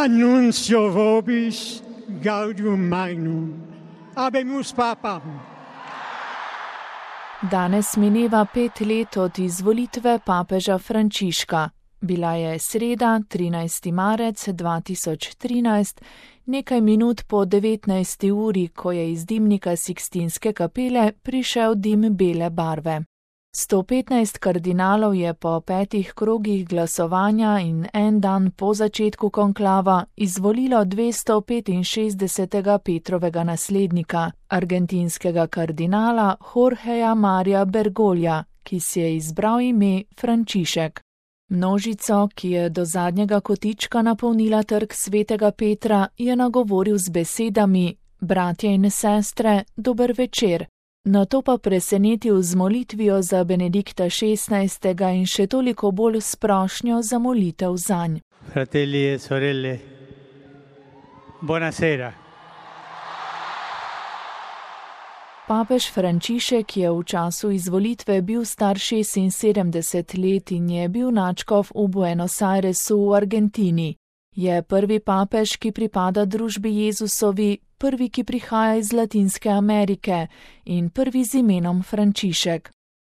Annuncio vobis gaudium magnum. Habemus papam. Danes mineva 5 let od izvolitve papeža Frančiška. Bila je sreda, 13. marec 2013, nekaj minut po 19. uri, ko je iz dimnika Sikstinske kapele prišel dim bele barve. 115 kardinalov je po 5 krogih glasovanja in en dan po začetku konklava izvolilo 265. Petrovega naslednika, argentinskega kardinala Jorgeja Marija Bergoglja, ki si je izbral ime Frančišek. Množico, ki je do zadnjega kotička napolnila trg svetega Petra, je nagovoril z besedami: bratje in sestre, dober večer. Nato pa presenetil z molitvijo za Benedikta XVI. In še toliko bolj s prošnjo za molitev zanj. Fratelli e sorelle, buonasera. Papež Frančišek je v času izvolitve bil star 76 let in je bil nadškof v Buenos Airesu v Argentini. Je prvi papež, ki pripada družbi Jezusovi, prvi, ki prihaja iz Latinske Amerike in prvi z imenom Frančišek.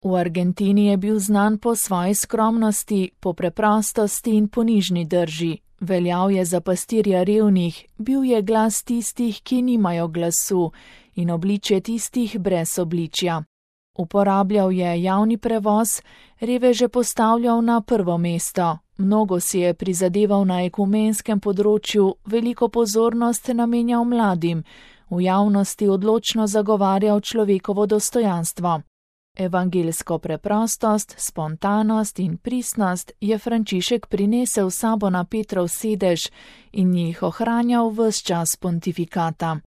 V Argentini je bil znan po svoji skromnosti, po preprostosti in ponižni drži. Veljal je za pastirja revnih, bil je glas tistih, ki nimajo glasu, in obličje tistih brez obličja. Uporabljal je javni prevoz, reveže postavljal na prvo mesto. Mnogo si je prizadeval na ekumenskem področju, veliko pozornost namenjal mladim, v javnosti odločno zagovarjal človekovo dostojanstvo. Evangelsko preprostost, spontanost in pristnost je Frančišek prinesel sabo na Petrov sedež in jih ohranjal ves čas pontifikata.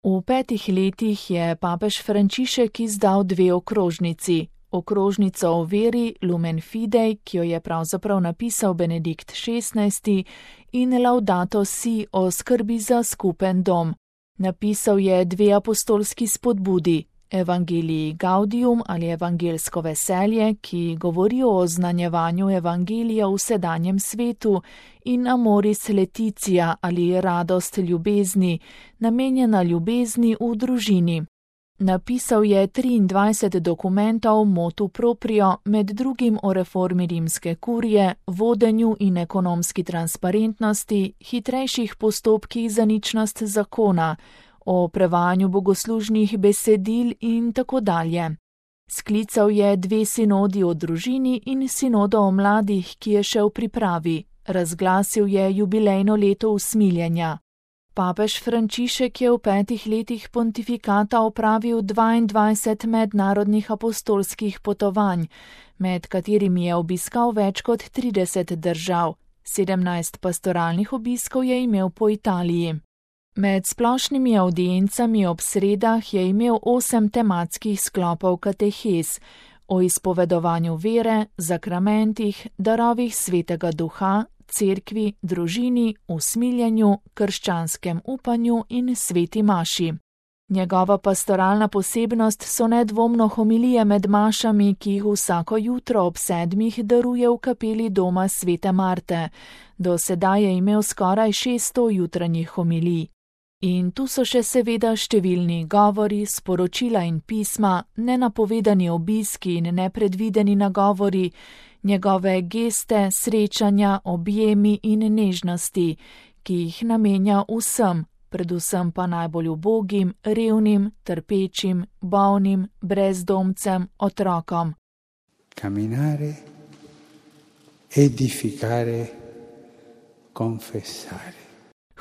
V 5 letih je papež Frančišek izdal 2 okrožnici. Okrožnico o veri Lumen Fidei, ki jo je pravzaprav napisal Benedikt XVI, in Laudato Si o skrbi za skupen dom. Napisal je 2 apostolski spodbudi, Evangelii Gaudium ali evangelsko veselje, ki govori o oznanjevanju evangelija v sedanjem svetu, in Amoris Laetitia ali radost ljubezni, namenjena ljubezni v družini. Napisal je 23 dokumentov motu proprio, med drugim o reformi rimske kurije, vodenju in ekonomski transparentnosti, hitrejših postopkih za ničnost zakona, o prevajanju bogoslužnih besedil in tako dalje. Sklical je 2 sinodi o družini in sinodo o mladih, ki je še v pripravi. Razglasil je jubilejno leto usmiljenja. Papež Frančišek je v 5 letih pontifikata opravil 22 mednarodnih apostolskih potovanj, med katerimi je obiskal več kot 30 držav. 17 pastoralnih obiskov je imel po Italiji. Med splošnimi avdiencami ob sredah je imel 8 tematskih sklopov katehez o izpovedovanju vere, zakramentih, darovih svetega duha, cerkvi, družini, usmiljenju, krščanskem upanju in sveti maši. Njegova pastoralna posebnost so nedvomno homilije med mašami, ki jih vsako jutro ob 7 daruje v kapeli doma svete Marte. Do sedaj je imel skoraj 600 jutranjih homilij. In tu so še seveda številni govori, sporočila in pisma, nenapovedani obiski in nepredvideni nagovori, njegove geste, srečanja, objemi in nežnosti, ki jih namenja vsem, predvsem pa najbolj ubogim, revnim, trpečim, bolnim, brezdomcem, otrokom. Camminare, edificare, confessare.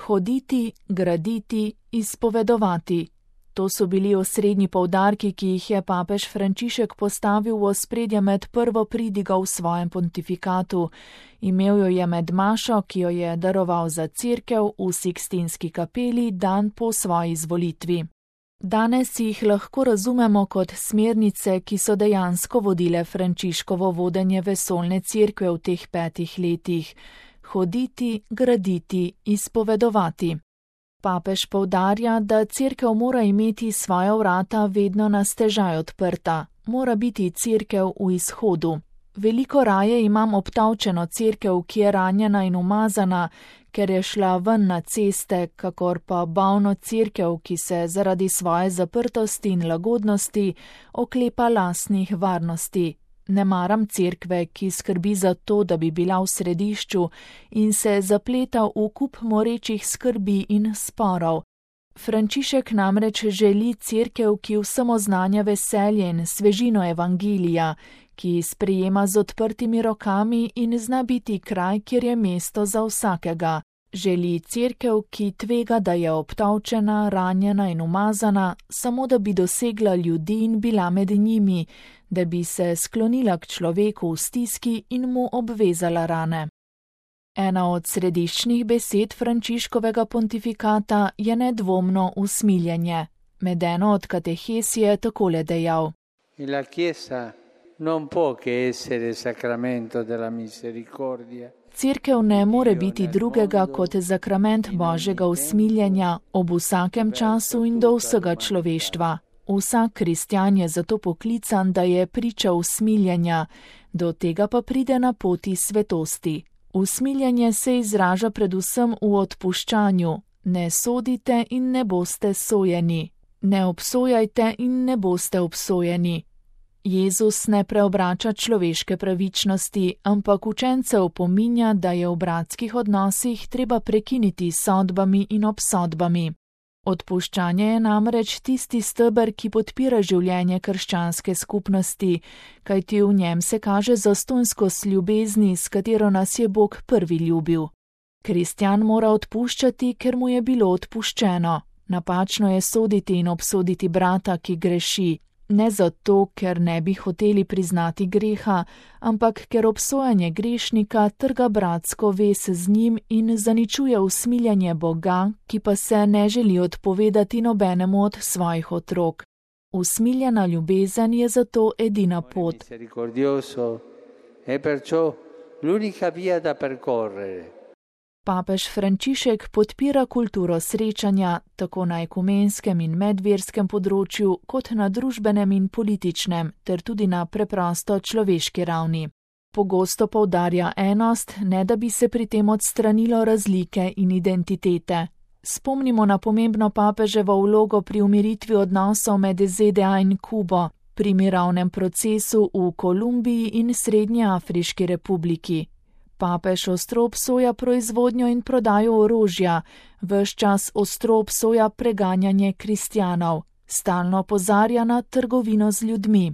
Hoditi, graditi, izpovedovati. To so bili osrednji poudarki, ki jih je papež Frančišek postavil v ospredje med prvo pridigo v svojem pontifikatu. Imel jo je med mašo, ki jo je daroval za cerkev v Sikstinski kapeli dan po svoji izvolitvi. Danes jih lahko razumemo kot smernice, ki so dejansko vodile Frančiškovo vodenje vesoljne cerkve v teh 5 letih. Hoditi, graditi, izpovedovati. Papež poudarja, da cerkev mora imeti svoja vrata vedno na stežaj odprta, mora biti cerkev v izhodu. Veliko raje imam obtavčeno cerkev, ki je ranjena in umazana, ker je šla ven na ceste, kakor pa bolno cerkev, ki se zaradi svoje zaprtosti in lagodnosti oklepa lastnih varnosti. Ne maram cerkve, ki skrbi za to, da bi bila v središču in se zapleta v kup morečih skrbi in sporov. Frančišek namreč želi cerkev, ki vsem oznanja veselje in svežino evangelija, ki sprejema z odprtimi rokami in zna biti kraj, kjer je mesto za vsakega. Želi cerkev, ki tvega, da je obtolčena, ranjena in umazana, samo da bi dosegla ljudi in bila med njimi, da bi se sklonila k človeku v stiski in mu obvezala rane. Ena od središčnih besed Frančiškovega pontifikata je nedvomno usmiljenje. Med eno od katehes je takole dejal: La Chiesa non può che essere sacramento della misericordia. Cerkev ne more biti drugega kot zakrament Božjega usmiljenja ob vsakem času in do vsega človeštva. Vsak kristjan je zato poklican, da je priča usmiljenja, do tega pa pride na poti svetosti. Usmiljenje se izraža predvsem v odpuščanju. Ne sodite in ne boste sojeni. Ne obsojajte in ne boste obsojeni. Jezus ne preobrača človeške pravičnosti, ampak učence opominja, da je v bratskih odnosih treba prekiniti s sodbami in obsodbami. Odpuščanje je namreč tisti steber, ki podpira življenje krščanske skupnosti, kajti v njem se kaže zastonjskost ljubezni, s katero nas je Bog prvi ljubil. Kristjan mora odpuščati, ker mu je bilo odpuščeno. Napačno je soditi in obsoditi brata, ki greši. Ne zato, ker ne bi hoteli priznati greha, ampak ker obsojanje grešnika trga bratsko vez z njim in zaničuje usmiljenje Boga, ki pa se ne želi odpovedati nobenemu od svojih otrok. Usmiljena ljubezen je zato edina pot. Papež Frančišek podpira kulturo srečanja tako na ekumenskem in medverskem področju, kot na družbenem in političnem, ter tudi na preprosto človeški ravni. Pogosto poudarja enost, ne da bi se pri tem odstranilo razlike in identitete. Spomnimo na pomembno papeževo vlogo pri umiritvi odnosov med ZDA in Kubo, pri mirovnem procesu v Kolumbiji in Srednjeafriški republiki. Papež ostro obsoja proizvodnjo in prodajo orožja, ves čas ostro obsoja preganjanje kristjanov, stalno opozarja na trgovino z ljudmi.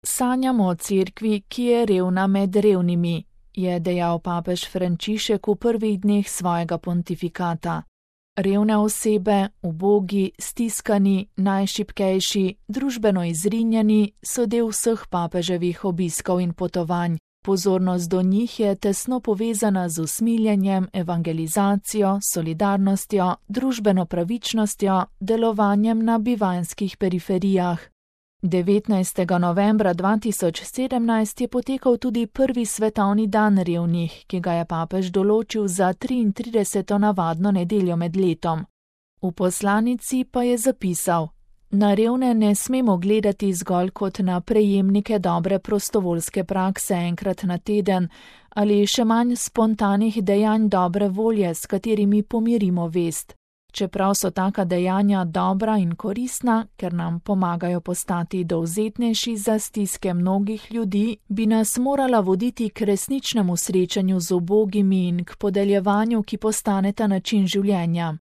Sanjamo o cerkvi, ki je revna med revnimi, je dejal papež Frančišek v prvih dneh svojega pontifikata. Revne osebe, ubogi, stiskani, najšibkejši, družbeno izrinjeni so del vseh papeževih obiskov in potovanj. Pozornost do njih je tesno povezana z usmiljenjem, evangelizacijo, solidarnostjo, družbeno pravičnostjo, delovanjem na bivanjskih periferijah. 19. novembra 2017 je potekal tudi prvi svetovni dan revnih, ki ga je papež določil za 33. navadno nedeljo med letom. V poslanici pa je zapisal: Na revne ne smemo gledati zgolj kot na prejemnike dobre prostovoljske prakse enkrat na teden ali še manj spontanih dejanj dobre volje, s katerimi pomirimo vest. Čeprav so taka dejanja dobra in koristna, ker nam pomagajo postati dovzetnejši za stiske mnogih ljudi, bi nas morala voditi k resničnemu srečanju z ubogimi in k podeljevanju, ki postaneta način življenja.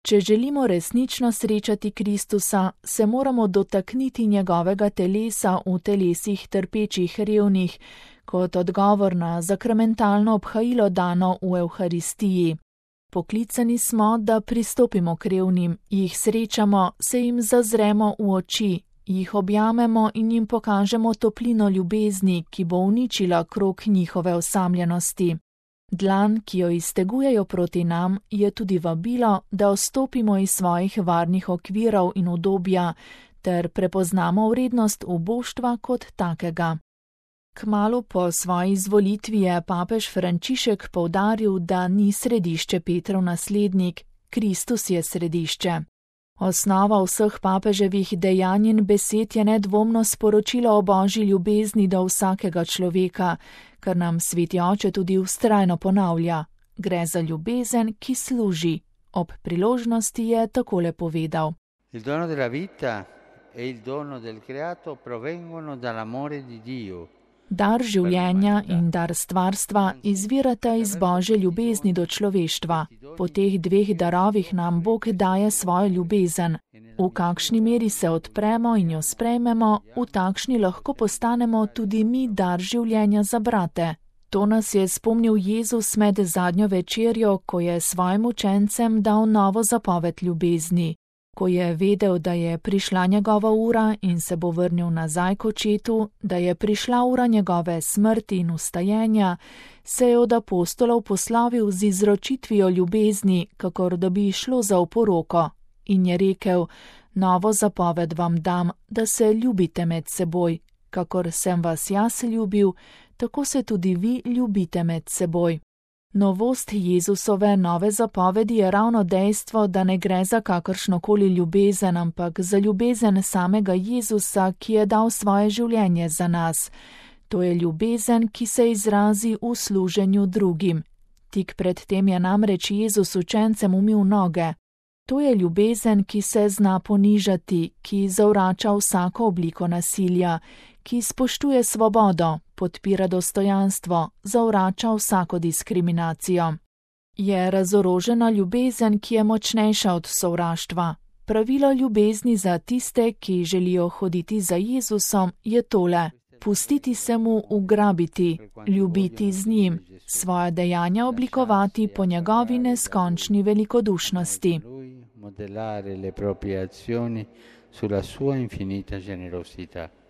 Če želimo resnično srečati Kristusa, se moramo dotakniti njegovega telesa v telesih trpečih revnih, kot odgovor na zakramentalno obhajilo dano v Evharistiji. Poklicani smo, da pristopimo k revnim, jih srečamo, se jim zazremo v oči, jih objamemo in jim pokažemo toplino ljubezni, ki bo uničila krog njihove osamljenosti. Dlan, ki jo iztegujejo proti nam, je tudi vabilo, da vstopimo iz svojih varnih okvirov in udobja, ter prepoznamo vrednost uboštva kot takega. Kmalu po svoji izvolitvi je papež Frančišek poudaril, da ni središče Petrov naslednik, Kristus je središče. Osnova vseh papeževih dejanj in besed je nedvomno sporočilo o božji ljubezni do vsakega človeka, kar nam Sveti Oče tudi vztrajno ponavlja. Gre za ljubezen, ki služi. Ob priložnosti je takole povedal. Il dono della vita e il dono del creato provengono dall'amore di Dio. Dar življenja in dar stvarstva izvirata iz Božje ljubezni do človeštva. Po teh dveh darovih nam Bog daje svojo ljubezen. V kakšni meri se odpremo in jo sprejmemo, v takšni lahko postanemo tudi mi dar življenja za brate. To nas je spomnil Jezus med zadnjo večerjo, ko je svojim učencem dal novo zapoved ljubezni. Ko je vedel, da je prišla njegova ura in se bo vrnil nazaj k očetu, da je prišla ura njegove smrti in ustajenja, se je od apostolov poslovil z izročitvijo ljubezni, kakor da bi šlo za oporoko. In je rekel, novo zapoved vam dam, da se ljubite med seboj. Kakor sem vas jaz ljubil, tako se tudi vi ljubite med seboj. Novost Jezusove nove zapovedi je ravno dejstvo, da ne gre za kakršnokoli ljubezen, ampak za ljubezen samega Jezusa, ki je dal svoje življenje za nas. To je ljubezen, ki se izrazi v služenju drugim. Tik pred tem je namreč Jezus učencem umil noge. To je ljubezen, ki se zna ponižati, ki zavrača vsako obliko nasilja, ki spoštuje svobodo, podpira dostojanstvo, zavrača vsako diskriminacijo. Je razorožena ljubezen, ki je močnejša od sovraštva. Pravilo ljubezni za tiste, ki želijo hoditi za Jezusom, je tole: pustiti se mu ugrabiti, ljubiti z njim, svoje dejanja oblikovati po njegovi neskončni velikodušnosti. Modellare le proprie azioni sulla sua infinita generosità.